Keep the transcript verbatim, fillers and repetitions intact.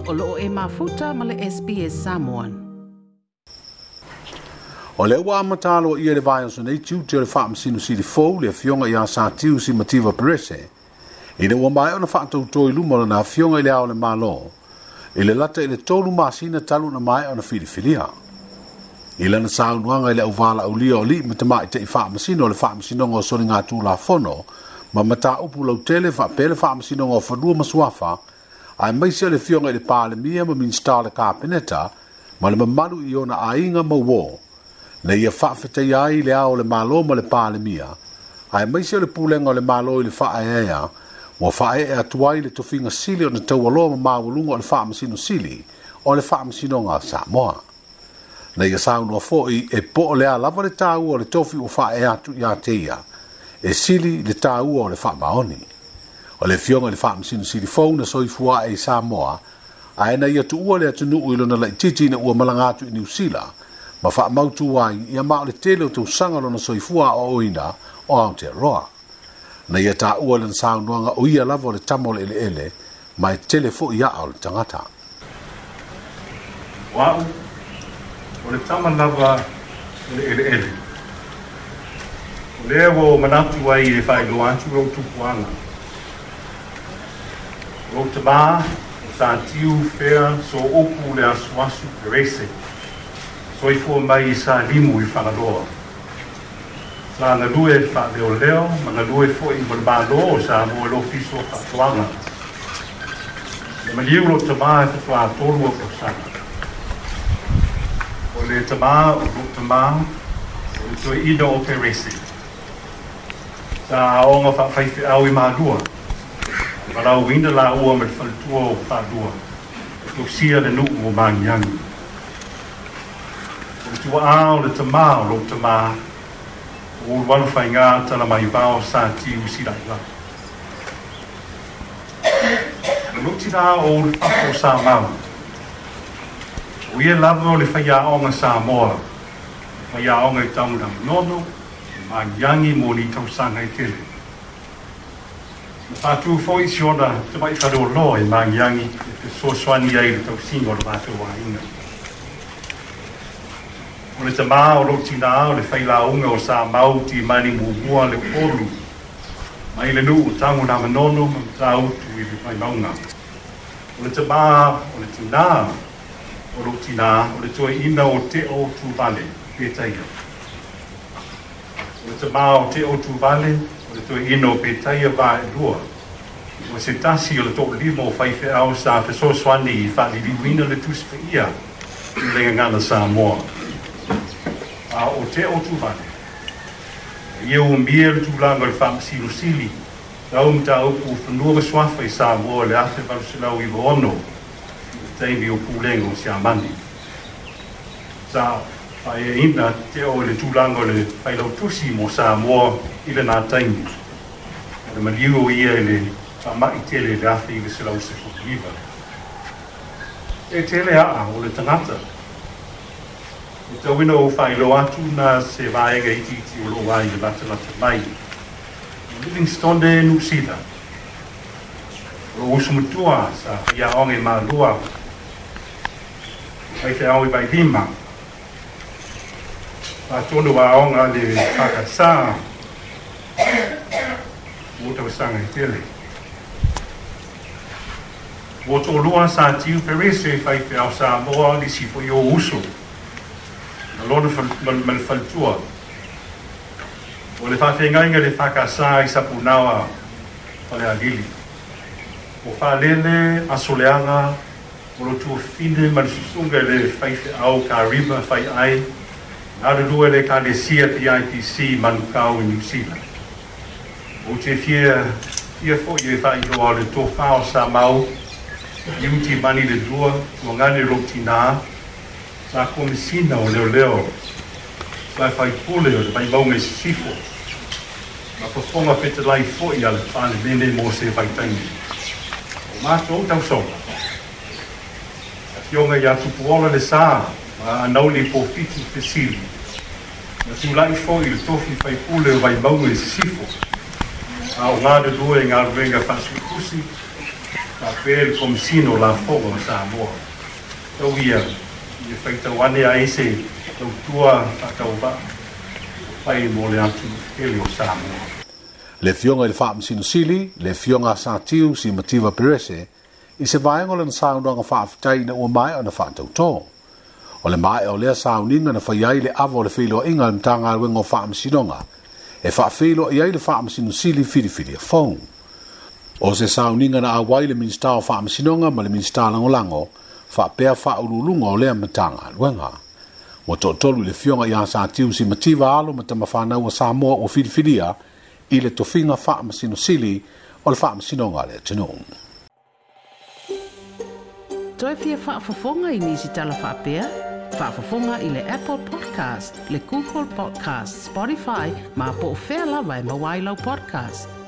O loo e mafuta ma le S B S Samoan. O le ua amatalo ia le vaiaso nei tiute o le faamasino sili fou le afioga ia Satiu Simativa Perese. Ina ua maea ona faatauto i luma o lana afioga i le ao o le Malo, i le lata i le tolu masina talu na maea ona filifilia. I lana saunoaga i le auvalaulia o alii ma tamaitai faamasino o le faamasinoga o soligatulafono ma mataupu lautele faapea le faamasinoga o fanua ma suafa, aemaise o le afioga i le Palemia ma Minisita o le Kapeneta ma le mamalu i ona aiga ma uo, na ia faafetaia ai le ao o le Malo ma le Palemia, aemaise o le pulega o le Malo i le faaeaea, ua faaee atu ai le tofiga sili ona taualoa ma maualuga o le faamasino sili o le faamasinoga a Samoa. Na ia saunoa foi e po o le a lava le taua o le tofi ua faaee atu ia te ia, e sili le taua o le faamaoni. O le afioga i le faamasino sili fou na soifua ae i Samoa, ae na ia tuua le atunuu i lona laitiiti ina ua malaga atu i Niu Sila, ma faamautu ai ia ma o le tele o tausaga lona soifua aoaoina o Aotearoa. Na ia taua lana saunoaga o ia lava o le tama o le eleele, ma e tele foi aa o le tagata. O au, o le tama lava o le eleele. O lea ua ou manatu ai e faailoa atu lou tupuaga. O lou tamā, o Satiu Fea Soupu le asuasu Perese, soifua mai i Salimu i Fagaloa. Sa galue faaleoleo ma galue foi mo le Malo o Samoa i le Ofisa o Faatoaga. Le maliu lou tamā e faatoa tolu o tausaga. O le tamā o lou tamā, o le toeaina o Perese. Sa aoga faafaifeau i Malua. Valaauina laua ma le faletua o Faalua, e tausia le nuu o Magiagi. O le tuaa o le tamā o lou tamā, o ulualu faiga tala mai vao Satiu Silailai. O lou tinā o Ulufafo o Samau. O ia lava o le faiaoga Samoa, faiaoga i Tagunamunono, Magiagi mo ni tausaga e tele. Na faatu foi si ona tamai faleoloa i Magiagi e fesoasoani ai i le tausiga o le matou aiga. O le tamā o lou tinā o le failauga o Samau Timani muamua le Olu, mai le nuu o Tagunamanono ma Matautu i le Vaimauga. O le tamā o le tinā o lou tinā o le toeaina o Teo Tuvale Petaia. O le tamā o Teo Tuvale o le toeaina o Petaia Vaelua. O se tasi o le toalima o faifeau sa fesoasoani i faaliliuina le Tusi Paia i le gagana Samoa. A o Teo Tuvale, ia umia le tulaga o le faamasino sili, tau mataupu o fanua ma suafa i Samoa le afe valu selau iva ono, i le taimi o pulega o Siamani. Sa faaeaina Teo i le tulaga o le failautusi mo Samoa i lena taimi. O le maliu o ia i le faamai tele i le afe iva selau sefuluiva. E tele aa o le tagata. E tauina o faailoa atu na se vaega itiiti o loo ai i latalata mai. O Livingstone Niu Sila. O lou uso matua sa faiaoga i Malua. Faifeau i Vailima. Faatonu aoga le Fakasā. Mo tausaga e tele. Ua toalua Satiu Perese faifeau Samoa nisi foi o uso. Ma lona ma le faletua. O le faafeagaiga le Fakasā i Sapunaoa Falealili. O faalele aso leaga o lo tuafine ma le susuga i le faifeau Karima Faiai, galulue le Ekalesia P I P C Manukau i Niu Sila. Ou te fia fia foi e faailoa o le tofā o Samau, Iu Timani le lua, tuagane lou tinā, sa komisina o leoleo, sa faipule o le Vaimauga i Sisifo, ma fofoga fetalai foi a le Palemene mo se vaitaimi. O matou tausoga. Afioga ia Tupuola le Sa, ma anauli Pofitu Fesili. Na tulai foi i le tofi faipule o Vaimauga i Sisifo. A o galulue i galuega faasuitusi, Faapea le Komesina o Lafoga o Samoa. Tau ia ia faitau ane ai se tautua faatauvaa fai mo le atunuu tele o Samoa. Le Afioga i le Faamasino Sili, le Afioga Satiu Simativa Perese, i se vaega o lana saunoaga faafetai ina ua maea ona faatautō. O le maea o lea sauniga na fai ai le ava o le feiloaiga a le Matagaluega o Faamasinoga e faafeiloai ai le Faamasino Sili filifilia fou. O se sauniga na auai le Minisita o Faamasinoga ma le Minisita Lagolago faapea faauluuluga o lea Matagaluega. Ua toatolu i le Afioga ia Satiu Simativa alo ma tamafanau a Samoa ua filifilia i le tofiga Faamasino Sili o le Faamasinoga a le atunuu. Toe fia faafofoga i nisi tala faapea? Faafofoga i le Apple Podcast, le Google Podcast, Spotify, ma po o fea lava e maua ai lau podcast.